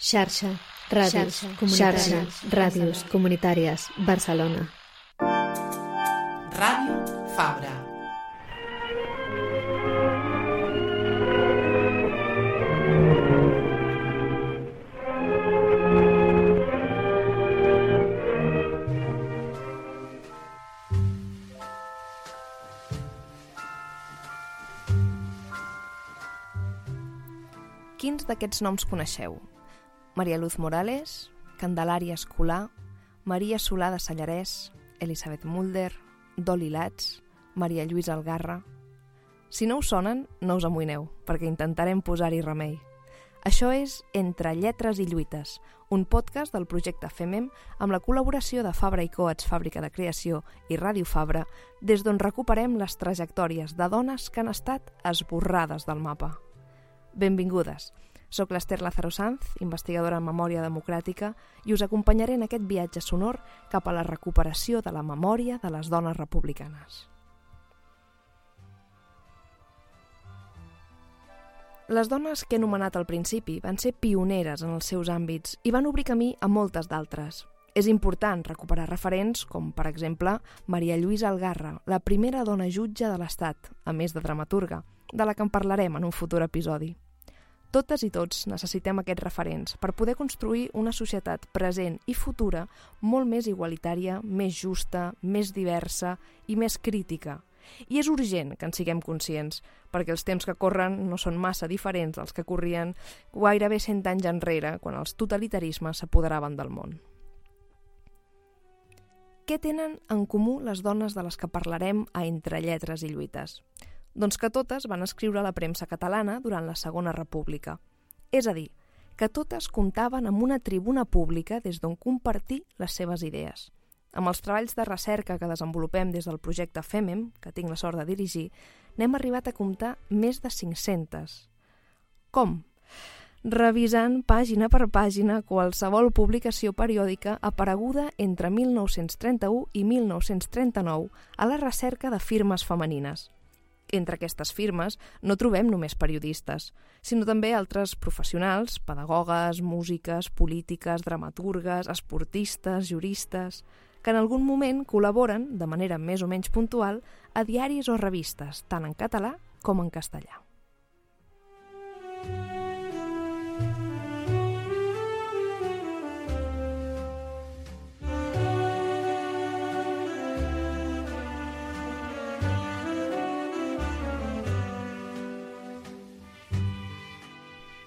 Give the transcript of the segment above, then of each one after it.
Xarxa, ràdios comunitàries, Barcelona. Ràdio Fabra. Quins d'aquests noms coneixeu? Maria Luz Morales, Candelària Escolà, Maria Solà de Sallarès, Elisabeth Mulder, Doli Lats, Maria Lluïsa Algarra... Si no us sonen, no us amoïneu, perquè intentarem posar-hi remei. Això és Entre lletres i lluites, un podcast del projecte FEMEM amb la col·laboració de Fabra i Coats, Fàbrica de Creació i Ràdio Fabra, des d'on recuperem les trajectòries de dones que han estat esborrades del mapa. Benvingudes! Soc l'Ester Lázaro Sanz, investigadora en memòria democràtica, i us acompanyaré en aquest viatge sonor cap a la recuperació de la memòria de les dones republicanes. Les dones que he anomenat al principi van ser pioneres en els seus àmbits i van obrir camí a moltes d'altres. És important recuperar referents com, per exemple, Maria Lluïsa Algarra, la primera dona jutge de l'Estat, a més de dramaturga, de la que en parlarem en un futur episodi. Totes i tots necessitem aquests referents per poder construir una societat present i futura molt més igualitària, més justa, més diversa i més crítica. I és urgent que en siguem conscients, perquè els temps que corren no són massa diferents dels que corrien gairebé 100 anys enrere, quan els totalitarismes s'apoderaven del món. Què tenen en comú les dones de les que parlarem a Entre lletres i lluites? Doncs que totes van escriure a la premsa catalana durant la Segona República. És a dir, que totes comptaven amb una tribuna pública des d'on compartir les seves idees. Amb els treballs de recerca que desenvolupem des del projecte FEMEM, que tinc la sort de dirigir, n'hem arribat a comptar més de 500. Com? Revisant pàgina per pàgina qualsevol publicació periòdica apareguda entre 1931 i 1939 a la recerca de firmes femenines. Entre aquestes firmes no trobem només periodistes, sinó també altres professionals, pedagogues, músiques, polítiques, dramaturgues, esportistes, juristes, que en algun moment col·laboren, de manera més o menys puntual, a diaris o revistes, tant en català com en castellà.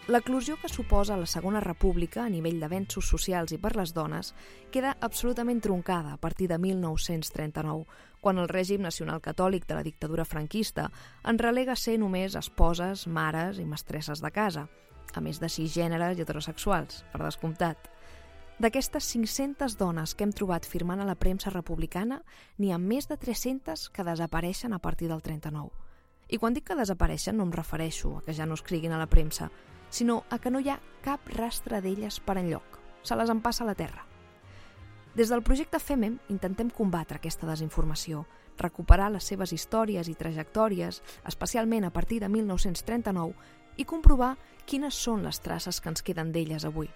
L'eclosió que suposa la Segona República a nivell d'avenços socials i per les dones queda absolutament troncada a partir de 1939, quan el règim nacional catòlic de la dictadura franquista en relega a ser només esposes, mares i mestresses de casa, a més de cisgèneres i heterosexuals, per descomptat. D'aquestes 500 dones que hem trobat firmant a la premsa republicana, n'hi ha més de 300 que desapareixen a partir del 39. I quan dic que desapareixen no em refereixo a que ja no escriguin a la premsa, sinó a que no hi ha cap rastre d'elles per enlloc. Se les empassa a la terra. Des del projecte FEMEM intentem combatre aquesta desinformació, recuperar les seves històries i trajectòries, especialment a partir de 1939, i comprovar quines són les traces que ens queden d'elles avui.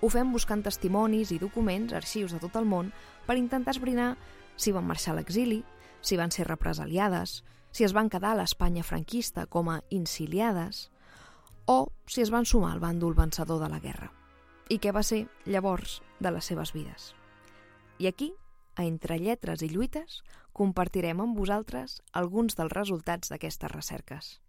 Ho fem buscant testimonis i documents, arxius de tot el món, per intentar esbrinar si van marxar a l'exili, si van ser represaliades, si es van quedar a l'Espanya franquista com a insiliades, o si es van sumar al bàndol vencedor de la guerra. I què va ser, llavors, de les seves vides. I aquí, a Entre lletres i lluites, compartirem amb vosaltres alguns dels resultats d'aquestes recerques.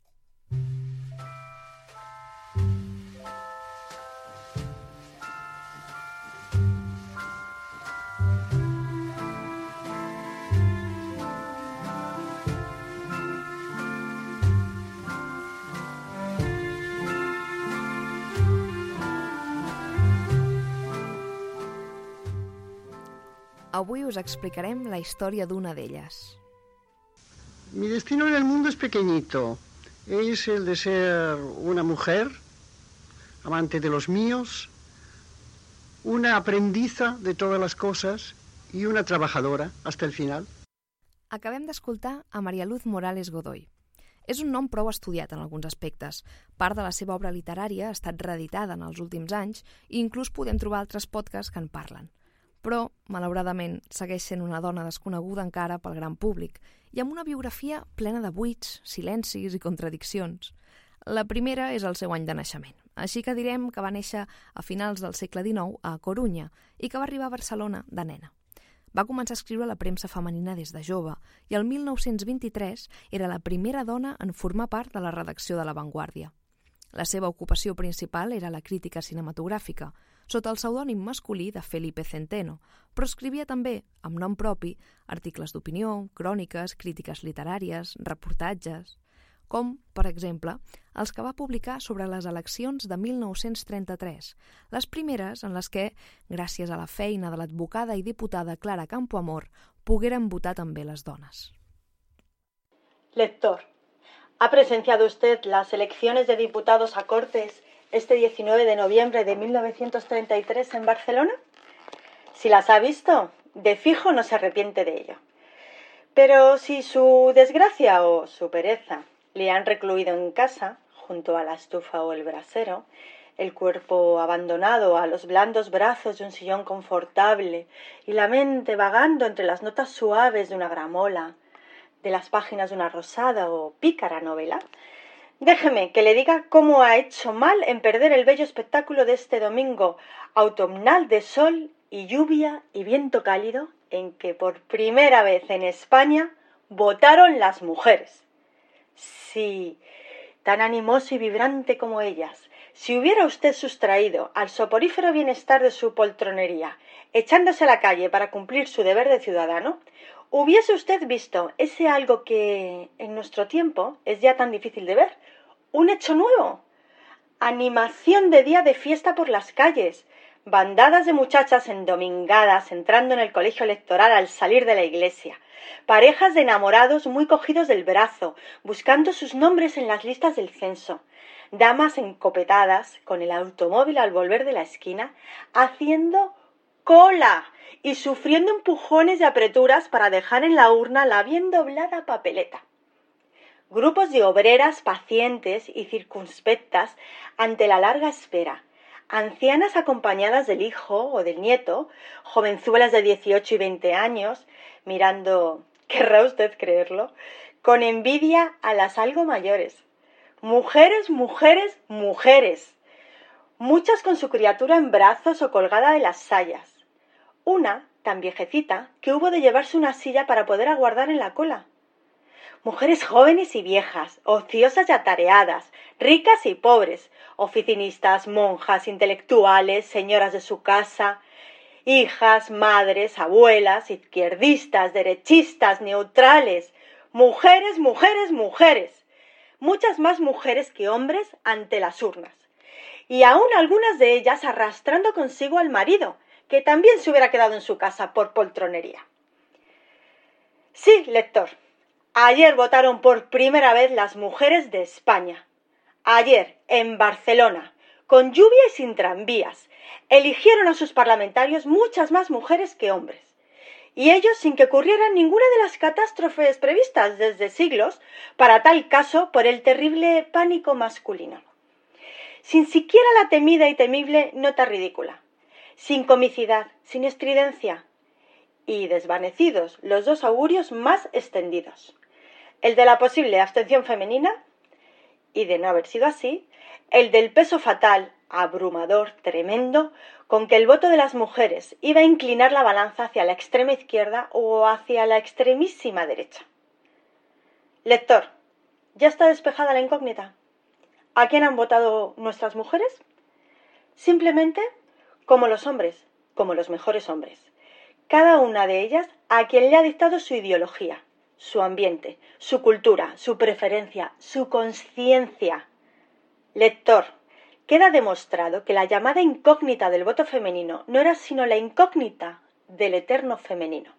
Avui us explicarem la història d'una d'elles. Mi destino en el mundo es pequeñito. Es el de ser una mujer, amante de los míos, una aprendiza de todas las cosas y una trabajadora hasta el final. Acabem d'escoltar a Maria Luz Morales Godoy. És un nom prou estudiat en alguns aspectes. Part de la seva obra literària ha estat reeditada en els últims anys i inclús podem trobar altres podcasts que en parlen. Però, malauradament, segueix sent una dona desconeguda encara pel gran públic i amb una biografia plena de buits, silencis i contradiccions. La primera és el seu any de naixement, així que direm que va néixer a finals del segle XIX a Corunya i que va arribar a Barcelona de nena. Va començar a escriure a la premsa femenina des de jove i el 1923 era la primera dona en formar part de la redacció de La Vanguardia. La seva ocupació principal era la crítica cinematogràfica, sota el pseudònim masculí de Felipe Centeno, però escrivia també, amb nom propi, articles d'opinió, cròniques, crítiques literàries, reportatges, com, per exemple, els que va publicar sobre les eleccions de 1933, les primeres en les que, gràcies a la feina de l'advocada i diputada Clara Campoamor, pogueren votar també les dones. Lector, ¿ha presenciado usted las elecciones de diputados a Cortes este 19 de noviembre de 1933 en Barcelona? Si las ha visto, de fijo no se arrepiente de ello. Pero si su desgracia o su pereza le han recluido en casa, junto a la estufa o el brasero, el cuerpo abandonado a los blandos brazos de un sillón confortable y la mente vagando entre las notas suaves de una gramola, de las páginas de una rosada o pícara novela, déjeme que le diga cómo ha hecho mal en perder el bello espectáculo de este domingo autumnal de sol y lluvia y viento cálido en que por primera vez en España votaron las mujeres. Sí, tan animoso y vibrante como ellas, si hubiera usted sustraído al soporífero bienestar de su poltronería, echándose a la calle para cumplir su deber de ciudadano, hubiese usted visto ese algo que en nuestro tiempo es ya tan difícil de ver, un hecho nuevo, animación de día de fiesta por las calles, bandadas de muchachas endomingadas entrando en el colegio electoral al salir de la iglesia, parejas de enamorados muy cogidos del brazo, buscando sus nombres en las listas del censo, damas encopetadas con el automóvil al volver de la esquina, haciendo cola y sufriendo empujones y apreturas para dejar en la urna la bien doblada papeleta. Grupos de obreras pacientes y circunspectas ante la larga espera, ancianas acompañadas del hijo o del nieto, jovenzuelas de 18 y 20 años, mirando, querrá usted creerlo, con envidia a las algo mayores. Mujeres, mujeres, mujeres. Muchas con su criatura en brazos o colgada de las sayas. Una, tan viejecita, que hubo de llevarse una silla para poder aguardar en la cola. Mujeres jóvenes y viejas, ociosas y atareadas, ricas y pobres, oficinistas, monjas, intelectuales, señoras de su casa, hijas, madres, abuelas, izquierdistas, derechistas, neutrales, mujeres, mujeres, mujeres, muchas más mujeres que hombres ante las urnas, y aún algunas de ellas arrastrando consigo al marido, que también se hubiera quedado en su casa por poltronería. Sí, lector, ayer votaron por primera vez las mujeres de España. Ayer, en Barcelona, con lluvia y sin tranvías, eligieron a sus parlamentarios muchas más mujeres que hombres. Y ellos sin que ocurrieran ninguna de las catástrofes previstas desde siglos para tal caso por el terrible pánico masculino. Sin siquiera la temida y temible nota ridícula. Sin comicidad, sin estridencia. Y desvanecidos los dos augurios más extendidos. El de la posible abstención femenina y, de no haber sido así, el del peso fatal, abrumador, tremendo, con que el voto de las mujeres iba a inclinar la balanza hacia la extrema izquierda o hacia la extremísima derecha. Lector, ¿ya está despejada la incógnita? ¿A quién han votado nuestras mujeres? Simplemente, como los hombres, como los mejores hombres. Cada una de ellas a quien le ha dictado su ideología, su ambiente, su cultura, su preferencia, su conciencia. Lector, queda demostrado que la llamada incógnita del voto femenino no era sino la incógnita del eterno femenino.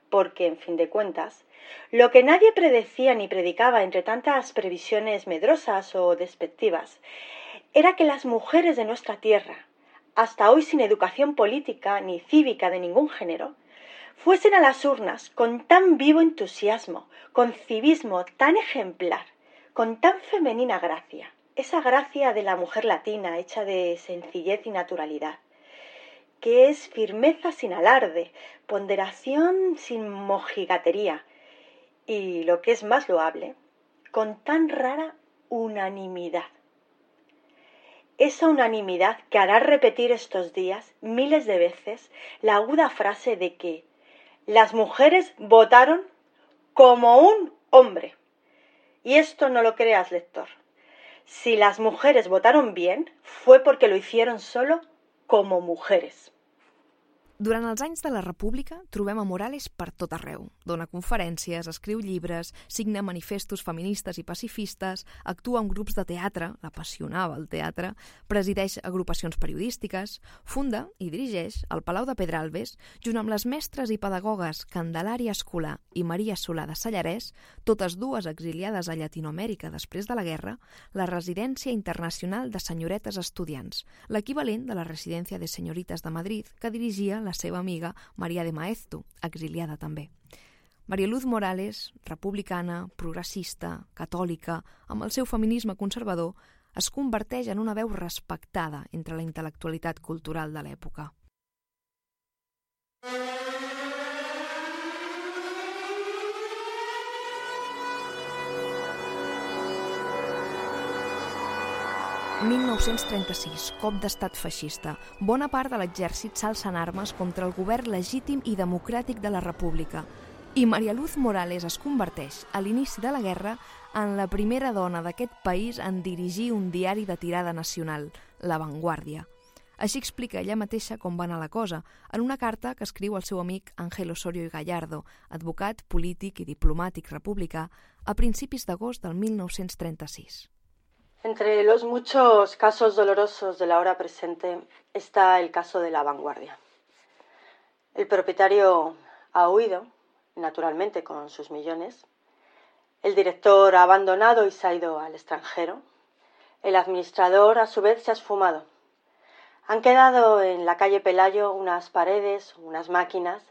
Porque, en fin de cuentas, lo que nadie predecía ni predicaba entre tantas previsiones medrosas o despectivas era que las mujeres de nuestra tierra, hasta hoy sin educación política ni cívica de ningún género, fuesen a las urnas con tan vivo entusiasmo, con civismo tan ejemplar, con tan femenina gracia, esa gracia de la mujer latina hecha de sencillez y naturalidad, que es firmeza sin alarde, ponderación sin mojigatería y, lo que es más loable, con tan rara unanimidad. Esa unanimidad que hará repetir estos días miles de veces la aguda frase de que las mujeres votaron como un hombre. Y esto no lo creas, lector. Si las mujeres votaron bien, fue porque lo hicieron solo como mujeres. Durant els anys de la República trobem a Morales per tot arreu. Dona conferències, escriu llibres, signa manifestos feministes i pacifistes, actua en grups de teatre, l'apassionava el teatre, presideix agrupacions periodístiques, funda i dirigeix el Palau de Pedralbes, junt amb les mestres i pedagogues Candelària Escolà i Maria Solà de Sallarès, totes dues exiliades a Llatinoamèrica després de la guerra, la Residència Internacional de Senyoretes Estudiants, l'equivalent de la Residència de Senyoritas de Madrid que dirigia la seva amiga Maria de Maeztu, exiliada també. María Luz Morales, republicana, progressista, catòlica, amb el seu feminisme conservador, es converteix en una veu respectada entre la intel·lectualitat cultural de l'època. «1936, cop d'estat feixista. Bona part de l'exèrcit s'alça en armes contra el govern legítim i democràtic de la República. I María Luz Morales es converteix, a l'inici de la guerra, en la primera dona d'aquest país en dirigir un diari de tirada nacional, La Vanguardia. Així explica ella mateixa com va anar la cosa, en una carta que escriu al seu amic Ángel Osorio y Gallardo, advocat, polític i diplomàtic republicà, a principis d'agost del 1936. Entre los muchos casos dolorosos de la hora presente está el caso de La Vanguardia. El propietario ha huido, naturalmente con sus millones. El director ha abandonado y se ha ido al extranjero. El administrador, a su vez, se ha esfumado. Han quedado en la calle Pelayo unas paredes, unas máquinas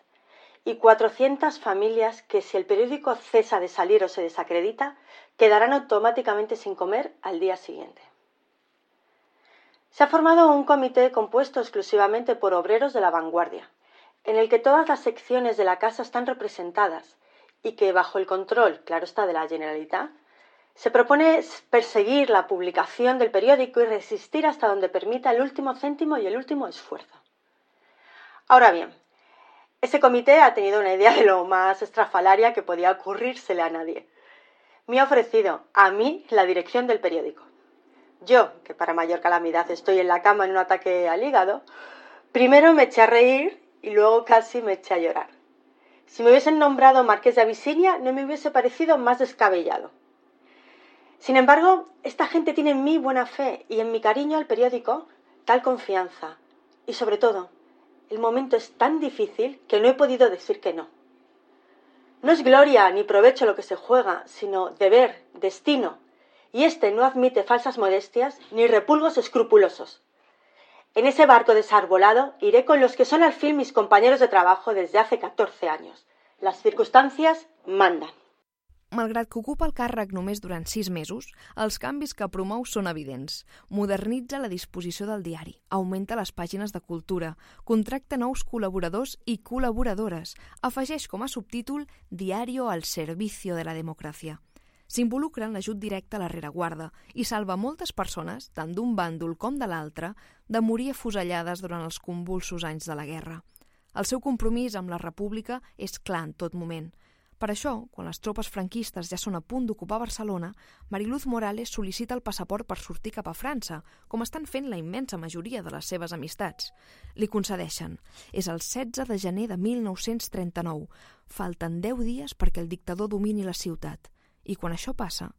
y 400 familias que, si el periódico cesa de salir o se desacredita, quedarán automáticamente sin comer al día siguiente. Se ha formado un comité compuesto exclusivamente por obreros de La Vanguardia, en el que todas las secciones de la casa están representadas y que, bajo el control, claro está, de la Generalitat, se propone perseguir la publicación del periódico y resistir hasta donde permita el último céntimo y el último esfuerzo. Ahora bien, ese comité ha tenido una idea de lo más estrafalaria que podía ocurrírsele a nadie. Me ha ofrecido a mí la dirección del periódico. Yo, que para mayor calamidad estoy en la cama en un ataque al hígado, primero me eché a reír y luego casi me eché a llorar. Si me hubiesen nombrado Marqués de Abisinia, no me hubiese parecido más descabellado. Sin embargo, esta gente tiene en mí buena fe y en mi cariño al periódico tal confianza. Y sobre todo, el momento es tan difícil que no he podido decir que no. No es gloria ni provecho lo que se juega, sino deber, destino, y este no admite falsas modestias ni repulgos escrupulosos. En ese barco desarbolado iré con los que son al fin mis compañeros de trabajo desde hace 14 años. Las circunstancias mandan. Malgrat que ocupa el càrrec només durant 6 mesos, els canvis que promou són evidents. Modernitza la disposició del diari, augmenta les pàgines de cultura, contracta nous col·laboradors i col·laboradores, afegeix com a subtítol «Diario al servicio de la democràcia». S'involucra en l'ajut directe a la rereguarda i salva moltes persones, tant d'un bàndol com de l'altre, de morir afusellades durant els convulsos anys de la guerra. El seu compromís amb la República és clar en tot moment. Per això, quan les tropes franquistes ja són a punt d'ocupar Barcelona, María Luz Morales sol·licita el passaport per sortir cap a França, com estan fent la immensa majoria de les seves amistats. Li concedeixen. És el 16 de gener de 1939. Falten 10 dies perquè el dictador domini la ciutat. I quan això passa,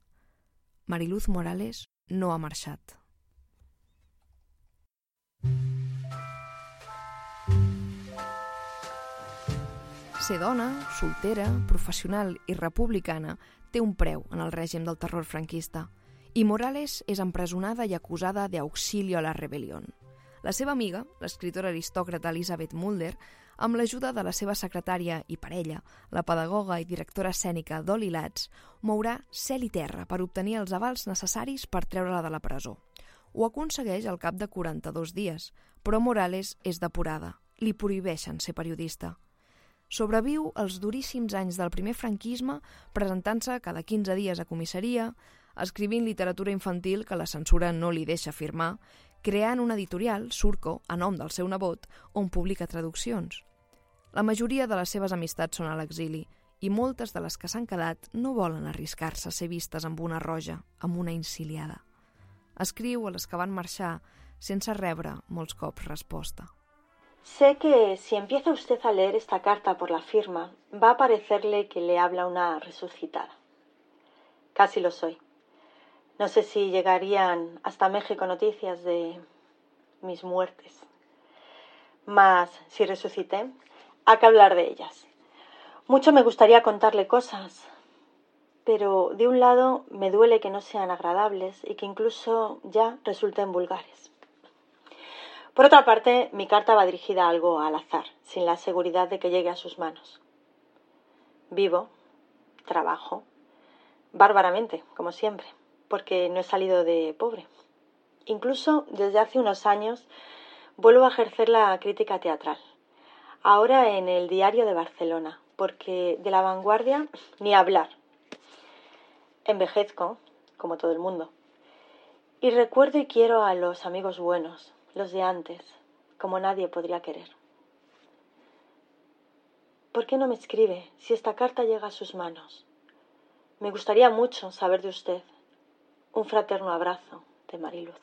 María Luz Morales no ha marxat. Ser dona, soltera, professional i republicana té un preu en el règim del terror franquista i Morales és empresonada i acusada d'auxilio a la rebelión. La seva amiga, l'escriptora aristòcrata Elisabeth Mulder, amb l'ajuda de la seva secretària i parella, la pedagoga i directora escènica Dolly Latz, mourà cel i terra per obtenir els avals necessaris per treure-la de la presó. Ho aconsegueix al cap de 42 dies, però Morales és depurada. Li prohibeixen ser periodista. Sobreviu els duríssims anys del primer franquisme presentant-se cada 15 dies a comissaria, escrivint literatura infantil que la censura no li deixa firmar, creant una editorial, Surco, a nom del seu nebot, on publica traduccions. La majoria de les seves amistats són a l'exili i moltes de les que s'han quedat no volen arriscar-se a ser vistes amb una roja, amb una enciliada. Escriu a les que van marxar sense rebre molts cops resposta. Sé que si empieza usted a leer esta carta por la firma, va a parecerle que le habla una resucitada. Casi lo soy. No sé si llegarían hasta México noticias de mis muertes. Mas si resucité, hay que hablar de ellas. Mucho me gustaría contarle cosas, pero de un lado me duele que no sean agradables y que incluso ya resulten vulgares. Por otra parte, mi carta va dirigida a algo al azar, sin la seguridad de que llegue a sus manos. Vivo, trabajo, bárbaramente, como siempre, porque no he salido de pobre. Incluso desde hace unos años vuelvo a ejercer la crítica teatral. Ahora en el Diario de Barcelona, porque de La Vanguardia ni hablar. Envejezco, como todo el mundo, y recuerdo y quiero a los amigos buenos, los de antes, como nadie podría querer. ¿Por qué no me escribe si esta carta llega a sus manos? Me gustaría mucho saber de usted. Un fraterno abrazo de Mariluz.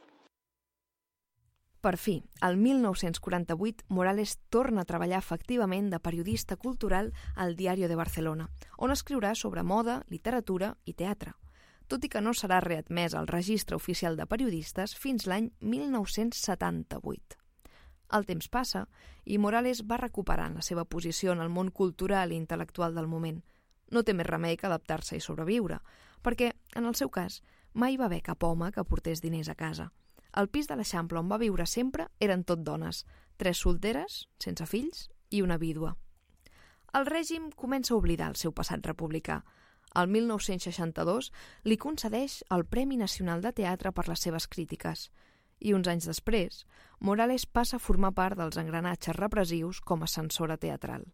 Per fi, el 1948, Morales torna a treballar efectivament de periodista cultural al Diario de Barcelona, on escriurà sobre moda, literatura i teatre, tot i que no serà readmès al registre oficial de periodistes fins l'any 1978. El temps passa i Morales va recuperant la seva posició en el món cultural i intel·lectual del moment. No té més remei que adaptar-se i sobreviure, perquè, en el seu cas, mai va haver cap home que portés diners a casa. El pis de l'Eixample on va viure sempre eren tot dones, 3 solteres, sense fills i una vídua. El règim comença a oblidar el seu passat republicà. El 1962 li concedeix el Premi Nacional de Teatre per les seves crítiques i uns anys després, Morales passa a formar part dels engranatges repressius com a censora teatral.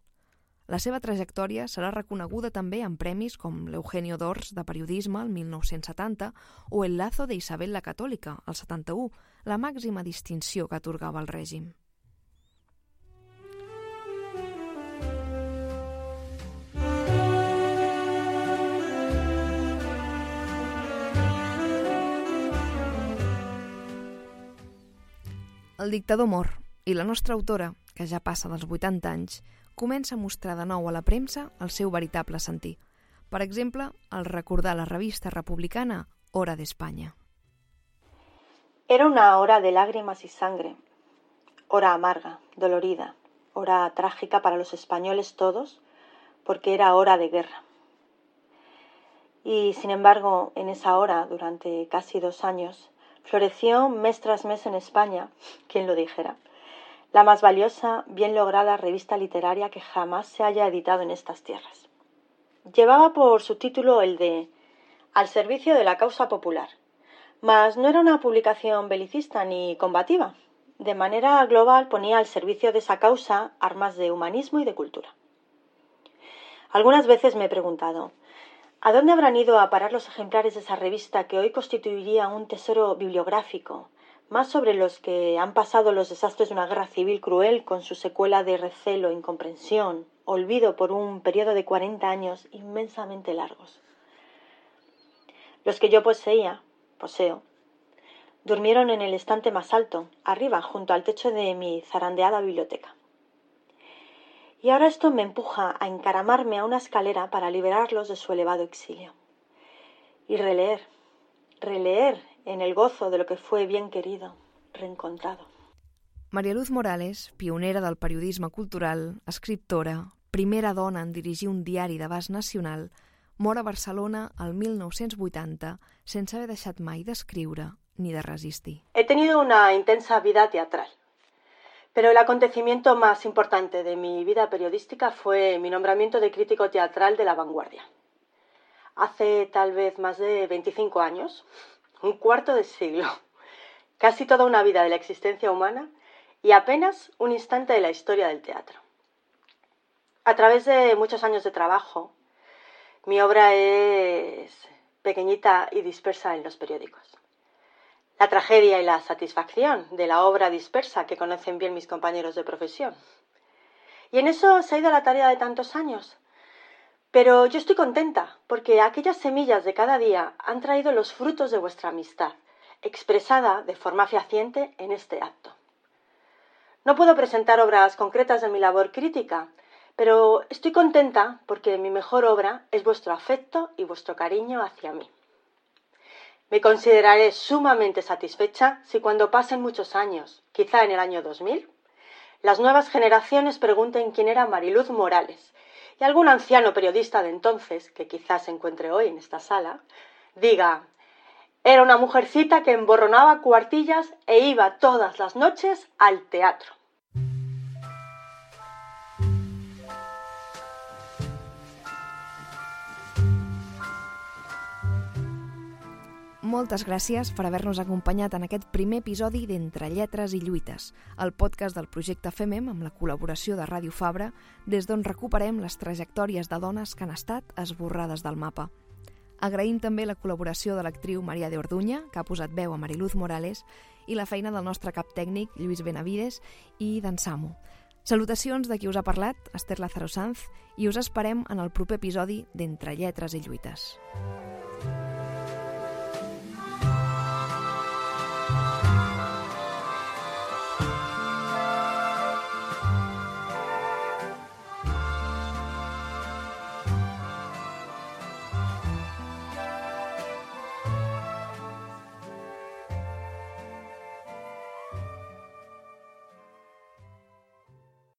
La seva trajectòria serà reconeguda també en premis com l'Eugenio d'Ors de Periodisme el 1970 o el Lazo de Isabel la Catòlica el 71, la màxima distinció que atorgava el règim. El dictador mor i la nostra autora, que ja passa dels 80 anys, comença a mostrar de nou a la premsa el seu veritable sentir. Per exemple, al recordar la revista republicana Hora de España. Era una hora de lágrimas y sangre, hora amarga, dolorida, hora trágica para los españoles todos, porque era hora de guerra. Y, sin embargo, en esa hora, durante casi 2 años, floreció mes tras mes en España, quien lo dijera, la más valiosa, bien lograda revista literaria que jamás se haya editado en estas tierras. Llevaba por subtítulo el de Al servicio de la causa popular, mas no era una publicación belicista ni combativa. De manera global ponía al servicio de esa causa armas de humanismo y de cultura. Algunas veces me he preguntado, ¿a dónde habrán ido a parar los ejemplares de esa revista que hoy constituiría un tesoro bibliográfico, más sobre los que han pasado los desastres de una guerra civil cruel con su secuela de recelo, incomprensión, olvido por un periodo de 40 años inmensamente largos? Los que yo poseo, durmieron en el estante más alto, arriba, junto al techo de mi zarandeada biblioteca. Y ahora esto me empuja a encaramarme a una escalera para liberarlos de su elevado exilio. Y releer en el gozo de lo que fue bien querido, reencontrado. Maria Luz Morales, pionera del periodisme cultural, escriptora, primera dona en dirigir un diari d'abast nacional, mor a Barcelona el 1980 sense haver deixat mai d'escriure ni de resistir. He tenido una intensa vida teatral. Pero el acontecimiento más importante de mi vida periodística fue mi nombramiento de crítico teatral de La Vanguardia. Hace tal vez más de 25 años, un cuarto de siglo, casi toda una vida de la existencia humana y apenas un instante de la historia del teatro. A través de muchos años de trabajo, mi obra es pequeñita y dispersa en los periódicos. La tragedia y la satisfacción de la obra dispersa que conocen bien mis compañeros de profesión. Y en eso se ha ido la tarea de tantos años. Pero yo estoy contenta porque aquellas semillas de cada día han traído los frutos de vuestra amistad, expresada de forma fehaciente en este acto. No puedo presentar obras concretas de mi labor crítica, pero estoy contenta porque mi mejor obra es vuestro afecto y vuestro cariño hacia mí. Me consideraré sumamente satisfecha si cuando pasen muchos años, quizá en el año 2000, las nuevas generaciones pregunten quién era Mariluz Morales y algún anciano periodista de entonces, que quizás se encuentre hoy en esta sala, diga: era una mujercita que emborronaba cuartillas e iba todas las noches al teatro. Moltes gràcies per haver-nos acompanyat en aquest primer episodi d'Entre Lletres i Lluites, el podcast del projecte FEMEM amb la col·laboració de Ràdio Fabra, des d'on recuperem les trajectòries de dones que han estat esborrades del mapa. Agraïm també la col·laboració de l'actriu Maria de Orduña, que ha posat veu a Mariluz Morales, i la feina del nostre cap tècnic, Lluís Benavides, i d'en Samu. Salutacions de qui us ha parlat, Esther Lázaro Sanz, i us esperem en el proper episodi d'Entre Lletres i Lluites.